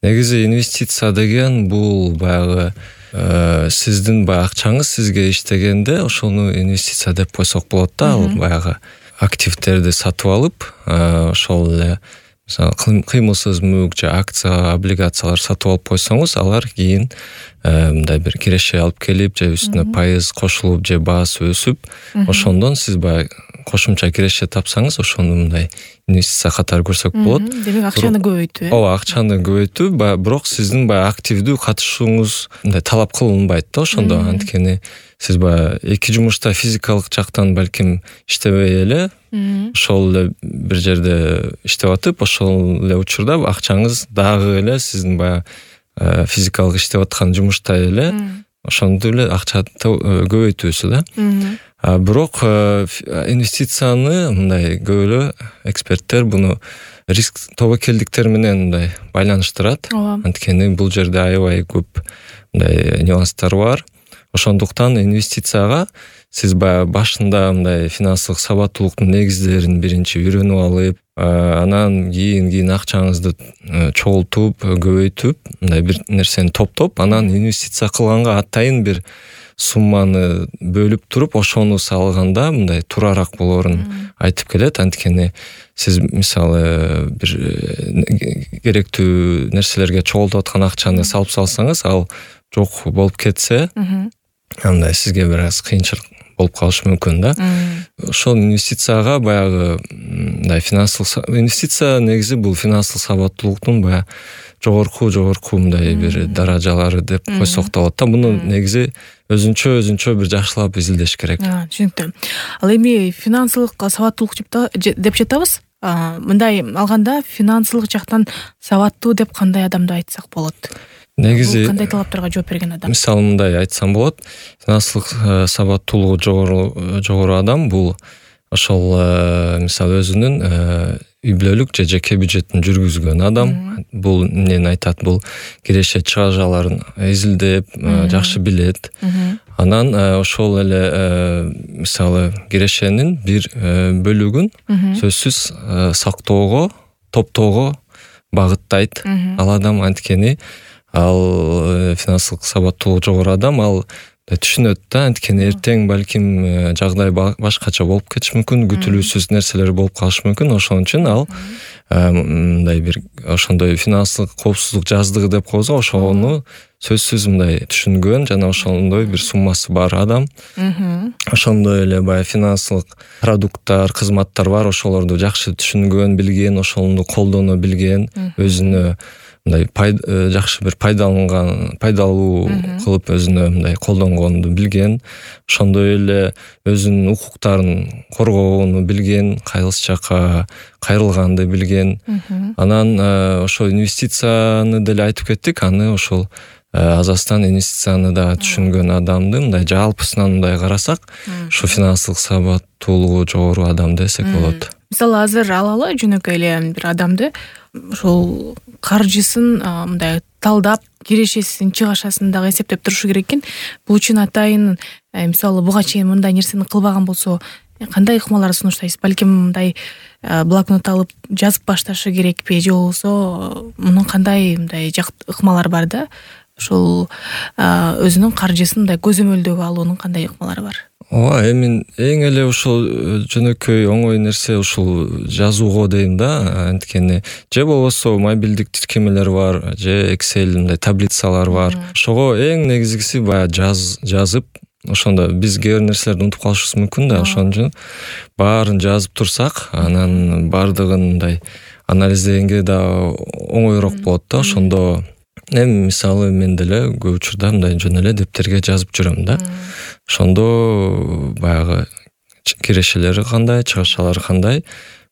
Негизи инвестиция деген бул баягы сиздин баягы акчаңыз сизге иштегенде ошону инвестиция деп койсок болот да. Ал баягы активтерди сатып алып, ошол эле мисалы кыймылсыз мүлк же акция, облигациялар сатып алып койсоңуз, алар кийин мындай бир киреше алып келип, же үстүнө пайыз кошулуп, же баасы өсүп, ошондон сиз баягы кошумча киреше тапсаңыз, ошону мындай инвестиция катары көрсөк болот. Демек акчаны көбөйтүү. Ооба, акчаны көбөйтүү, бирок сиздин баягы активдүү катышууңуз мындай талап кылынбайт да ошондо. Анткени сиз баягы эки жумушта физикалык жактан балким иштебей эле, ошол эле бир жерде иштеп атып, ошол эле учурда акчаңыз дагы эле сиздин баягы физикалык иштеп аткан жумуштай эле ошондой эле акча көбөйтүүсү да. Бирок инвестицияны мындай көп эле эксперттер буну риск тобокелдиктер менен мындай байланыштырат. Анткени бул жерде аябай көп мындай нюанстар бар. Ошондуктан инвестицияга сиз баягы башында мындай финансылык сабаттуулуктун негиздерин биринчи үйрөнүп алып, анан кийин акчаңызды чогултуп, көбөйтүп, мындай бир нерсени топтоп, анан инвестиция кылганга атайын бир сумманы бөлүп туруп, ошону салганда мындай туурараак болоорун айтып келет. Анткени сиз мисалы бир керектүү нерселерге чогултуп аткан акчаны салып салсаңыз, ал жок болуп кетсе, андай сизге бир аз кыйынчылык болуп калышы мүмкүн да. Ошол инвестицияга баягы мындай финансылык инвестиция негизи бул финансылык сабаттуулуктун баягы жогорку мындай бир даражалары деп койсок да болот да. Муну негизи өзүнчө бир жакшылап изилдеш керек. Түшүнүктүү. Ал эми финансылык сабаттуулук деп жатабыз. Мындай алганда финансылык жактан сабаттуу деп кандай адамды айтсак болот? Негизи кандай талаптарга жооп берген адам? Мисалы мындай айтсам болот. Финансылык сабаттуулугу жогору адам бул ошол мисалы өзүнүн үй бүлөлүк же жеке бюджетин жүргүзгөн адам. Бул эмнени айтат? Бул киреше чыгажаларын изилдеп, жакшы билет. Анан ошол эле мисалы кирешенин бир бөлүгүн сөзсүз сактоого, топтоого багыттайт ал адам. Анткени ал финансылык сабаттуулугу жогору адам, ал түшүнөт да, анткени эртең балким жагдай башкача болуп кетиши мүмкүн, күтүлүүсүз нерселер болуп калышы мүмкүн. Ошон үчүн ал мындай бир ошондой финансылык коопсуздук жаздыгы деп коебуз, ошону сөзсүз мындай түшүнгөн жана ошондой бир суммасы бар адам. Ошондой эле баягы финансылык продукттар, кызматтар бар, ошолорду жакшы түшүнгөн, билген, ошону колдоно билген, өзүнө мындай жакшы бир пайдалуу кылып өзүнө мындай колдонгонду билген, ошондой эле өзүнүн укуктарын коргоону билген, кайсы жака кайрылганды билген. Анан ошол инвестицияны деле айтып кеттик, аны ошол азастан инвестицияны да түшүнгөн адамды мындай жалпысынан мындай карасак, ушу финансылык сабаттуулугу жогору адам десек болот. Мисалы азыр алалы жөнөкөй эле бир адамды ошол каржысын мындай талдап, кирешесин, чыгашасын дагы эсептеп турушу керек экен. Бул үчүн атайын мисалы буга чейин мындай нерсени кылбаган болсо, кандай ыкмалар сунуштайсыз? Балким мындай блокнот алып жазып башташы керекпи, же болбосо мунун кандай мындай ыкмалары бар да? Ошол өзүнүн каржысын мындай көзөмөлдөгө алуунун кандай ыкмалары бар? Ооба, эми эң эле ошол жөнөкөй оңой нерсе ушул жазууго дейм да. Анткени же болбосо мобилдик тиркемелер бар, же Excel мындай таблицалар бар. Ошого эң негизгиси баягы жазып, ошондо биз кээ бир нерселерди унутуп калышыбыз мүмкүн да. Ошон үчүн баарын жазып турсак, анан баардыгын мындай анализдегенге да оңойрок болот да. Ошондо эми мисалы мен деле көп учурда мындай жөн эле дептерге жазып жүрөм да. Ошондо баягы кирешелери кандай, чыгашалары кандай,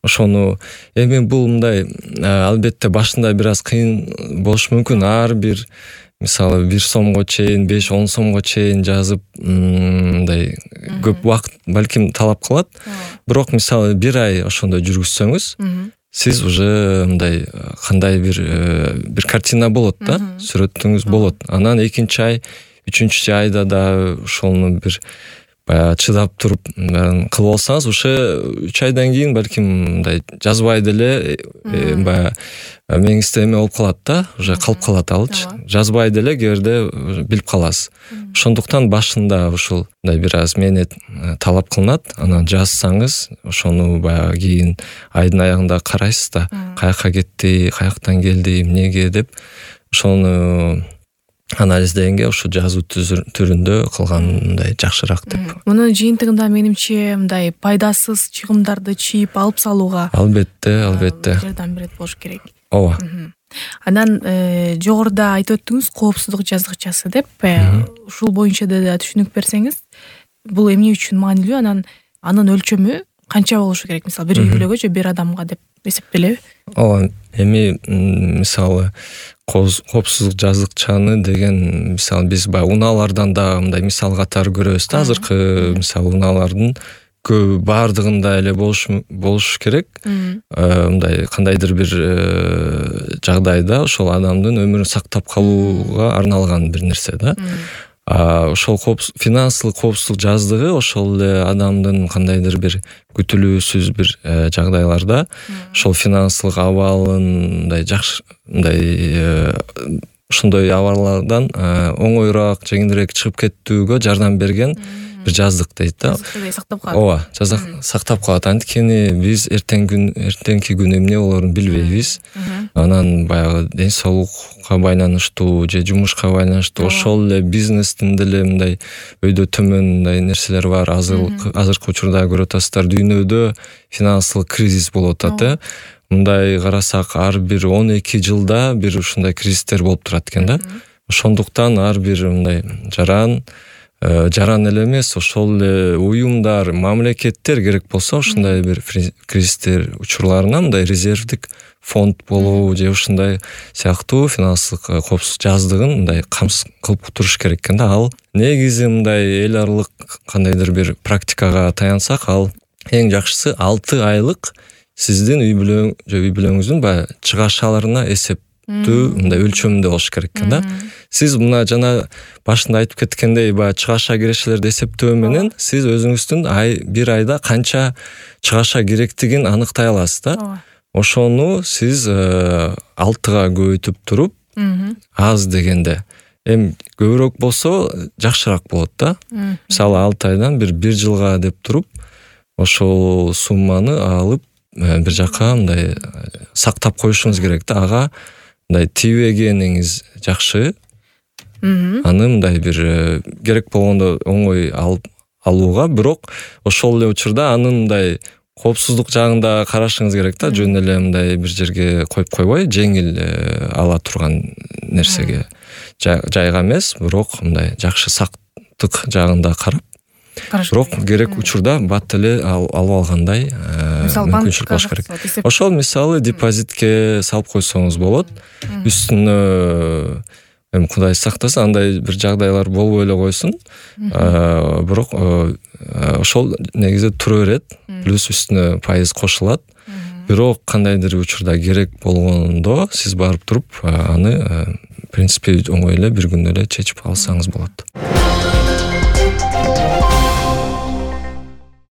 ошону эми бул мындай албетте башында бир аз кыйын болушу мүмкүн. Ар бир мисалы 1 сомго чейин, 5-10 сомго чейин жазып мындай көп убакыт балким талап кылат. Бирок мисалы 1 ай ошондой жүргүзсөңүз, сиз уже мындай кандай бир картина болот да, сүрөтүңүз болот. Анан 2-чи ай, 3-чү айда да ошону бир баягы чыдап туруп кылып алсаңыз уже 3 айдан кийин балким мындай жазбай деле баягы мээңизде эме болуп калат да, уже калып калат алчы. Жазбай деле кээде билип каласыз. Ошондуктан башында ушул мындай бир аз мээнет талап кылынат. Анан жазсаңыз, ошону баягы кийин айдын аягында карайсыз да, каяка кетти, каяктан келди, эмнеге деп ошону анализдегенге ушу жазуу түрүндө кылгандай жакшыраак деп. Мунун жыйынтыгында менимче мындай пайдасыз чыгымдарды чийип алып салууга албетте жардам берет болуш керек. Ооба. Анан жогоруда айтып өттүңүз коопсуздук жазгычасы деп. Ушул боюнча да түшүнүк берсеңиз, бул эмне үчүн маанилүү, анан анын өлчөмү канча болушу керек? Мисалы, бир үй бүлөгө же бир адамга деп эсептелеби? Ооба, эми мисалы коопсуздук жазгычаны деген, мисалы биз баягы унаалардан да мындай мисал катары көрөбүз да. Азыркы мисалы унаалардын көбү баардыгында эле болуш керек. Мындай кандайдыр бир жагдайда ошол адамдын өмүрүн сактап калууга арналган бир нерсе да. Ошол финансылык коопсуздук жаздыгы ошол эле адамдын кандайдыр бир күтүлүүсүз бир жагдайларда ошол финансылык абалын мындай жакшы, мындай ошондой абалlardan оңоюраак, жеңилирээк чыгып кетүүгө жардам берген бир жаздык дейт да. Сактап калат. Ооба, сактап калат. Анткени биз эртеңки күн эмне болоорун билбейбиз. Анан баягы ден соолукка байланыштуу же жумушка байланыштуу, ошол эле бизнестин деле мындай өйдө төмөн мындай нерселер бар. Азыркы учурда көрүп атасыздар, дүйнөдө финансылык кризис болуп атат. Мындай карасак, ар бир 12 жылда бир ушундай кризистер болуп турат экен да. Ошондуктан ар бир мындай жаран эле эмес, ошол эле уюмдар, мамлекеттер керек болсо ушундай бир кризистер учурларына мындай резервдик фонд болобу же ушундай сыяктуу финансылык коопсуздук жаздыгын мындай камсыз кылып туруш керек экен да. Ал негизи мындай эл аралык кандайдыр бир практикага таянсак, ал эң жакшысы 6 айлык сиздин үй бүлөңүздүн баягы чыгашаларына эсептүү мындай өлчөмүндө болуш керек экен да. Сиз мына жана башында айтып кеткендей, баягы чыгаша кирешелерди эсептөө менен сиз өзүңүздүн бир айда канча чыгаша керектигин аныктай аласыз да. Ошону сиз 6-га көбөйтүп туруп, аз дегенде эми көбүрөөк болсо жакшыраак болот да. Мисалы 6 айдан бир жылга деп туруп, ошол сумманы алып бир жака мындай сактап коюшуңуз керек да. Ага мындай тийбегениңиз жакшы. Аны мындай бир керек болгондо оңой алууга, бирок ошол эле учурда анын мындай коопсуздук жагында карашыңыз керек да. Жөн эле мындай бир жерге коюп койбой, жеңил ала турган нерсеге, жайга эмес, бирок мындай жакшы сактык жагында карап, бирок керек учурда бат эле алып алгандай мүмкүнчүлүк болуш керек. Ошол мисалы депозитке салып койсоңуз болот. Үстүнө эми Кудай сактасын, андай бир жагдайлар болбой эле койсун. Бирок ошол негизи тура берет, плюс үстүнө пайыз кошулат. Бирок кандайдыр учурда керек болгондо сиз барып туруп аны в принципе оңой эле бир күндө эле чечип алсаңыз болот.